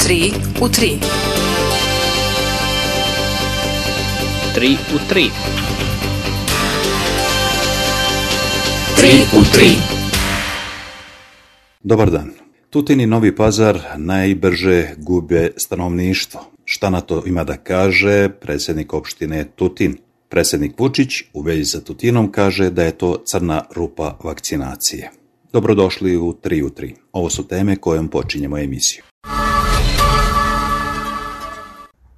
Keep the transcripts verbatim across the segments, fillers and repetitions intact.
tri u tri. tri u tri. tri u tri. Dobar dan. Tutin i Novi Pazar najbrže gube stanovništvo. Šta na to ima da kaže predsjednik opštine Tutin? Predsjednik Vučić u vezi sa Tutinom kaže da je to crna rupa vakcinacije. Dobrodošli u tri u tri. Ovo su teme kojom počinjemo emisiju.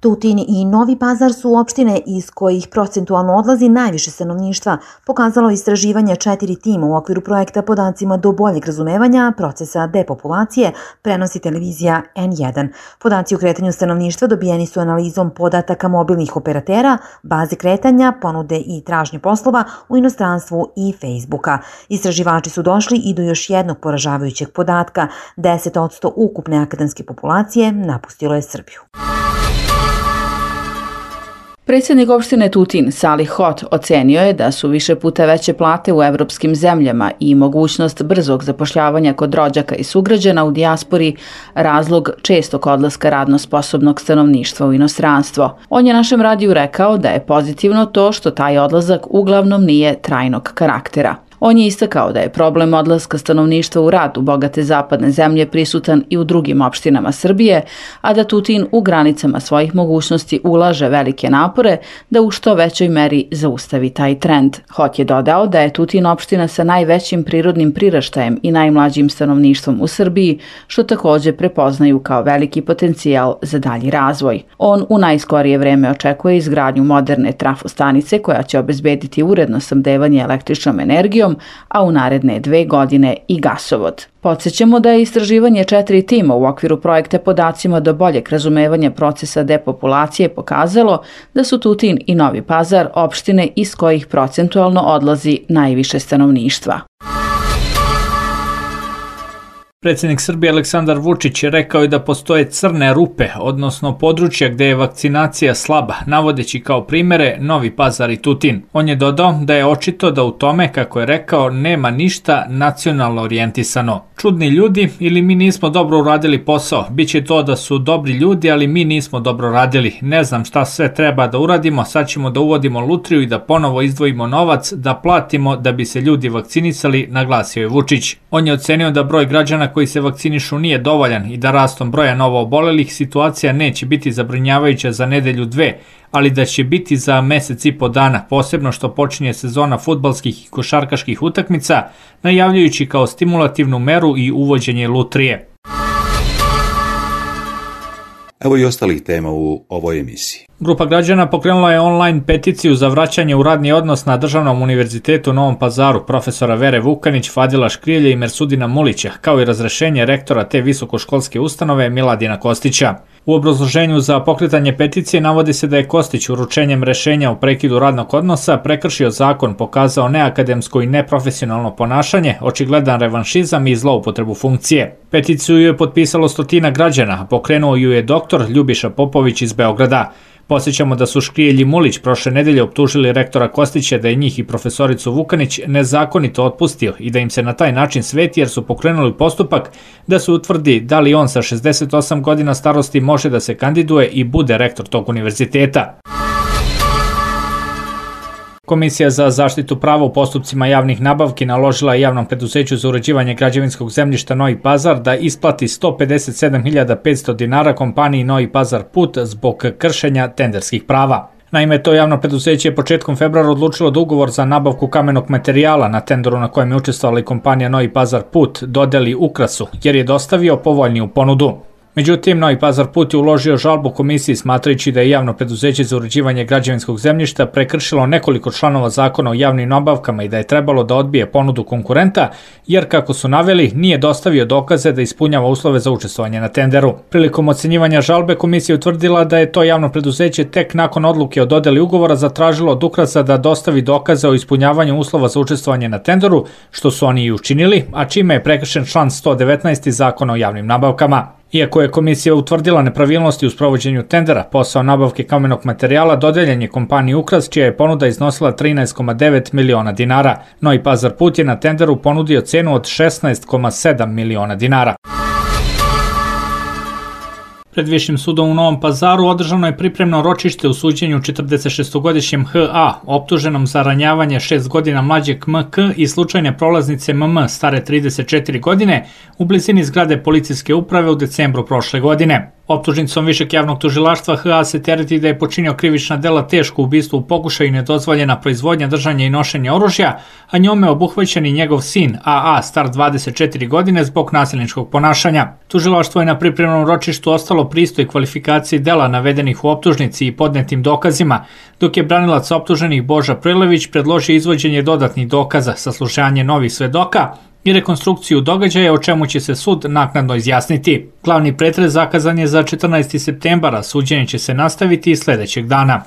Tutin i Novi Pazar su opštine iz kojih procentualno odlazi najviše stanovništva, pokazalo istraživanje četiri tima u okviru projekta Podacima do boljeg razumevanja procesa depopulacije, prenosi televizija en jedan. Podaci o kretanju stanovništva dobijeni su analizom podataka mobilnih operatera, baze kretanja, ponude i tražnje poslova u inostranstvu i Facebooka. Istraživači su došli i do još jednog poražavajućeg podatka. deset posto ukupne akademske populacije napustilo je Srbiju. Predsjednik opštine Tutin, Salih Hot, ocenio je da su više puta veće plate u evropskim zemljama i mogućnost brzog zapošljavanja kod rođaka i sugrađana u dijaspori razlog čestog odlaska radno sposobnog stanovništva u inostranstvo. On je našem radiju rekao da je pozitivno to što taj odlazak uglavnom nije trajnog karaktera. On je istakao da je problem odlaska stanovništva u rad u bogate zapadne zemlje prisutan i u drugim opštinama Srbije, a da Tutin u granicama svojih mogućnosti ulaže velike napore da u što većoj meri zaustavi taj trend. Hot je dodao da je Tutin opština sa najvećim prirodnim priraštajem i najmlađim stanovništvom u Srbiji, što također prepoznaju kao veliki potencijal za dalji razvoj. On u najskorije vreme očekuje izgradnju moderne trafostanice koja će obezbediti uredno snabdevanje električnom energijom, a u naredne dve godine i gasovod. Podsjećamo da je istraživanje četiri tima u okviru projekta Podacima do boljeg razumevanja procesa depopulacije pokazalo da su Tutin i Novi Pazar opštine iz kojih procentualno odlazi najviše stanovništva. Predsjednik Srbije Aleksandar Vučić rekao je da postoje crne rupe, odnosno područja gdje je vakcinacija slaba, navodeći kao primjere Novi Pazar i Tutin. On je dodao da je očito da u tome, kako je rekao, nema ništa nacionalno orijentisano. Čudni ljudi ili mi nismo dobro uradili posao. Biće to da su dobri ljudi, ali mi nismo dobro radili. Ne znam šta sve treba da uradimo, sad ćemo da uvodimo lutriju i da ponovo izdvojimo novac, da platimo da bi se ljudi vakcinisali, naglasio je Vučić. On je ocenio da broj građana koji se vakcinišu nije dovoljan i da rastom broja novoobolelih situacija neće biti zabrinjavajuća za nedelju dve, ali da će biti za mesec i po dana, posebno što počinje sezona fudbalskih i košarkaških utakmica, najavljujući kao stimulativnu meru i uvođenje lutrije. Evo i ostalih tema u ovoj emisiji. Grupa građana pokrenula je online peticiju za vraćanje u radni odnos na Državnom univerzitetu u Novom Pazaru profesora Vere Vukanić, Fadila Škrilje i Mersudina Mulića, kao i razrešenje rektora te visokoškolske ustanove Miladina Kostića. U obrazloženju za pokretanje peticije navodi se da je Kostić uručenjem rešenja o prekidu radnog odnosa prekršio zakon, pokazao neakademsko i neprofesionalno ponašanje, očigledan revanšizam i zloupotrebu funkcije. Peticiju je potpisalo stotina građana, a pokrenuo ju je doktor Ljubiša Popović iz Beograda. Posjećamo da su Škrijelj i Mulić prošle nedelje optužili rektora Kostića da je njih i profesoricu Vukanić nezakonito otpustio i da im se na taj način sveti jer su pokrenuli postupak da se utvrdi da li on sa šezdeset osam godina starosti može da se kandiduje i bude rektor tog univerziteta. Komisija za zaštitu prava u postupcima javnih nabavki naložila je Javnom preduzeću za uređivanje građevinskog zemljišta Novi Pazar da isplati sto pedeset sedam hiljada petsto dinara kompaniji Novi Pazar Put zbog kršenja tenderskih prava. Naime, to javno preduzeće je početkom februara odlučilo da ugovor za nabavku kamenog materijala na tenderu na kojem je učestvovala i kompanija Novi Pazar Put dodeli Ukrasu, jer je dostavio povoljniju ponudu. Međutim, Novi Pazar Put je uložio žalbu komisiji smatrajući da je Javno preduzeće za uređivanje građevinskog zemljišta prekršilo nekoliko članova zakona o javnim nabavkama i da je trebalo da odbije ponudu konkurenta, jer, kako su naveli, nije dostavio dokaze da ispunjava uslove za učestvovanje na tenderu. Prilikom ocenjivanja žalbe komisija utvrdila da je to javno preduzeće tek nakon odluke o dodeli ugovora zatražilo od Ukrasa da dostavi dokaze o ispunjavanju uslova za učestvovanje na tenderu, što su oni i učinili, a čime je prekršen član sto devetnaest zakona o javnim nabavkama. Iako je komisija utvrdila nepravilnosti u sprovođenju tendera, posao nabavke kamenog materijala dodeljen je kompaniji Ukras, čija je ponuda iznosila trinaest zarez devet miliona dinara. Novi Pazar Put je na tenderu ponudio cenu od šesnaest zarez sedam miliona dinara. Pred Višim sudom u Novom Pazaru održano je pripremno ročište u suđenju četrdesetšestogodišnjem H A, optuženom za ranjavanje šest godina mlađeg M K i slučajne prolaznice M M stare trideset četiri godine u blizini zgrade policijske uprave u decembru prošle godine. Optužnicom Višeg javnog tužilaštva H A se tereti da je počinio krivična dela teško ubistvo u pokušaju i nedozvoljena proizvodnja, držanje i nošenje oružja, a njome obuhvaćen i njegov sin A A star dvadeset četiri godine zbog nasilničkog ponašanja. Tužilaštvo je na pripremnom ročištu ostalo pristoj kvalifikaciji dela navedenih u optužnici i podnetim dokazima, dok je branilac optuženih Boža Prilević predložio izvođenje dodatnih dokaza, saslušanje novih svedoka i rekonstrukciju događaja, o čemu će se sud naknadno izjasniti. Glavni pretres zakazan je za četrnaesti septembar, a suđenje će se nastaviti i sledećeg dana.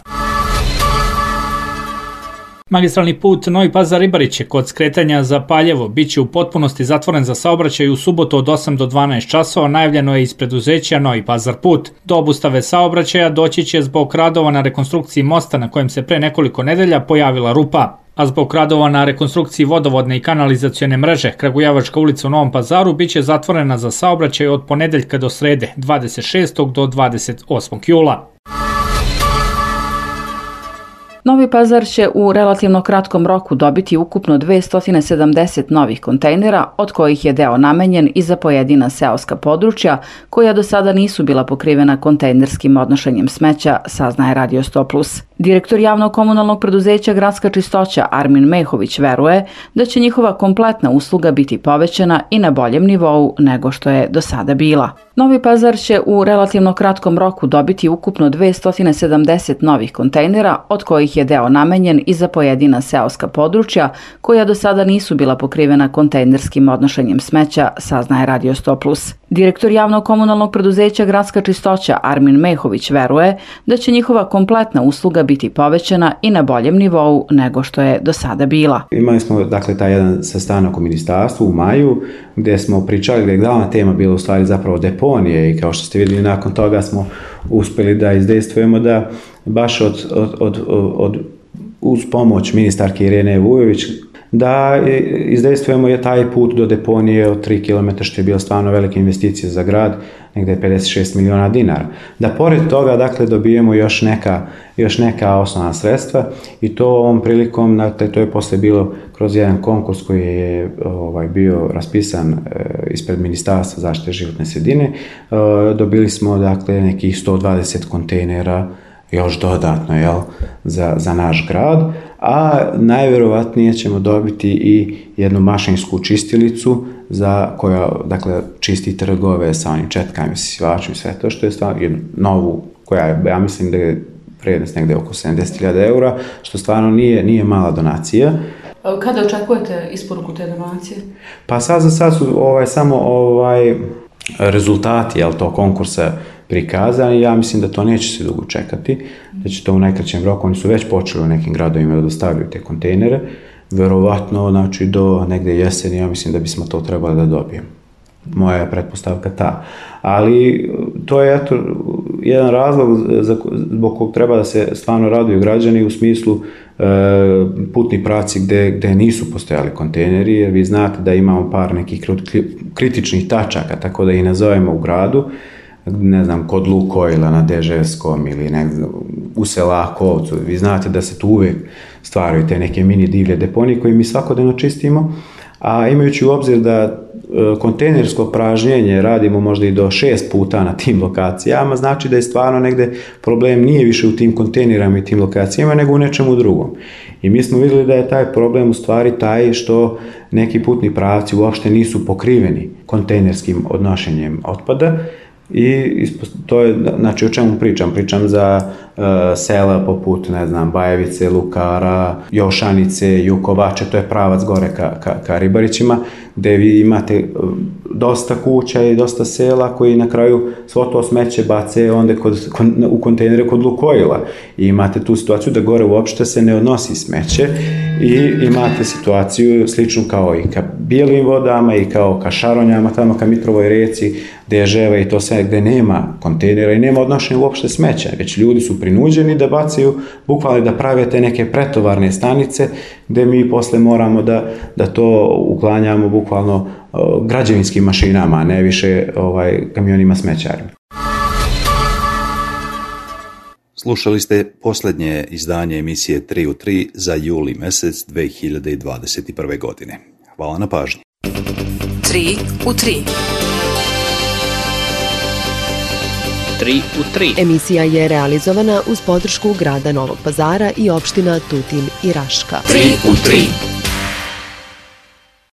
Magistralni put Novi Pazar-Ribariće kod skretanja za Paljevo biće u potpunosti zatvoren za saobraćaj u subotu od osam do dvanaest časova, najavljeno je iz preduzeća Novi Pazar put. Do obustave saobraćaja doći će zbog radova na rekonstrukciji mosta na kojem se pre nekoliko nedelja pojavila rupa. A zbog radova na rekonstrukciji vodovodne i kanalizacione mreže, Kragujevačka ulica u Novom Pazaru biće zatvorena za saobraćaj od ponedeljka do srede, dvadeset šestog do dvadeset osmog jula. Novi Pazar će u relativno kratkom roku dobiti ukupno dvesta sedamdeset novih kontejnera, od kojih je deo namenjen i za pojedina seoska područja koja do sada nisu bila pokrivena kontejnerskim odnošenjem smeća, saznaje Radio sto plus. Direktor javnog komunalnog preduzeća Gradska čistoća Armin Mehović veruje da će njihova kompletna usluga biti povećana i na boljem nivou nego što je do sada bila. Novi Pazar će u relativno kratkom roku dobiti ukupno dvesta sedamdeset novih kontejnera, od kojih je deo namenjen i za pojedina seoska područja koja do sada nisu bila pokrivena kontejnerskim odnošenjem smeća, saznaje Radio sto plus. Direktor javnog komunalnog preduzeća Gradska čistoća Armin Mehović veruje da će njihova kompletna usluga biti povećana i na boljem nivou nego što je do sada bila. Imali smo dakle taj jedan sastanak u ministarstvu u maju gdje smo pričali, gdje je glavna tema bila u stvari zapravo deponije i kao što ste vidjeli nakon toga smo uspjeli da izdejstvujemo da baš od, od, od, od uz pomoć ministarke Irene Vujović da izdejstvujemo je taj put do deponije od tri kilometra, što je bio stvarno velika investicija za grad, negdje pedeset šest miliona dinara. Da pored toga, dakle, dobijemo još neka, još neka osnovna sredstva i to ovom prilikom, dakle, to je posle bilo kroz jedan konkurs koji je ovaj, bio raspisan e, ispred Ministarstva zaštite životne sredine. E, dobili smo, dakle, nekih sto dvadeset kontejnera još dodatno, jel, za, za naš grad, a najvjerovatnije ćemo dobiti i jednu mašinsku čistilicu za koja, dakle, čisti trgove sa onim četkama i sisivačima i sve to, što je stvarno jednu novu, koja je, ja mislim da je vrijednost negdje oko sedamdeset hiljada eura, što stvarno nije, nije mala donacija. Kada očekujete isporuku te donacije? Pa sad za sad su ovaj, samo ovaj, rezultati, jel, to konkursa prikazani, ja mislim da to neće se dugo čekati, da će to u najkraćem roku, oni su već počeli u nekim gradovima da dostavljaju te kontejnere, verovatno, znači, do negde jeseni, ja mislim da bismo to trebali da dobijemo. Moja je pretpostavka ta. Ali to je, eto, jedan razlog zbog kog treba da se stvarno raduju građani u smislu e, putni pravci gde, gde nisu postojali kontejneri, jer vi znate da imamo par nekih kritičnih tačaka, tako da ih nazovemo u gradu, ne znam, kod Lukojla na Deževskom ili negdje u Selakovcu. Vi znate da se tu uvijek stvaraju te neke mini divlje deponije koje mi svakodnevno čistimo, a imajući u obzir da kontejnersko pražnjenje radimo možda i do šest puta na tim lokacijama, znači da je stvarno negde problem nije više u tim kontejnerama i tim lokacijama, nego u nečemu drugom. I mi smo vidjeli da je taj problem u stvari taj što neki putni pravci uopšte nisu pokriveni kontejnerskim odnošenjem otpada. I to je, znači, o čemu pričam? Pričam za uh, sela poput, ne znam, Bajevice, Lukara, Jošanice, Jukovače, to je pravac gore ka, ka, ka Ribarićima, gde vi imate dosta kuća i dosta sela koji na kraju svo to smeće bace onda kod, kod, u kontejnere kod Lukojila. I imate tu situaciju da gore uopšte se ne odnosi smeće i imate situaciju sličnu kao i ka Bijelim vodama i kao ka Šaronjama, tamo ka Mitrovoj reci, Deževa i to sve gde nema kontejnera i nema odnošenja uopšte smeća, već ljudi su prinuđeni da bacaju, bukvalno da prave te neke pretovarne stanice gde mi posle moramo da, da to uklanjamo bukvalno uh, građevinskim mašinama, a ne više ovaj, kamionima smećarima. Slušali ste posljednje izdanje emisije tri u tri za juli mesec dve hiljade dvadeset prve. godine. Hvala na pažnji. tri u tri. tri u tri. Emisija je realizovana uz podršku grada Novog Pazara i opština Tutin i Raška. tri u tri.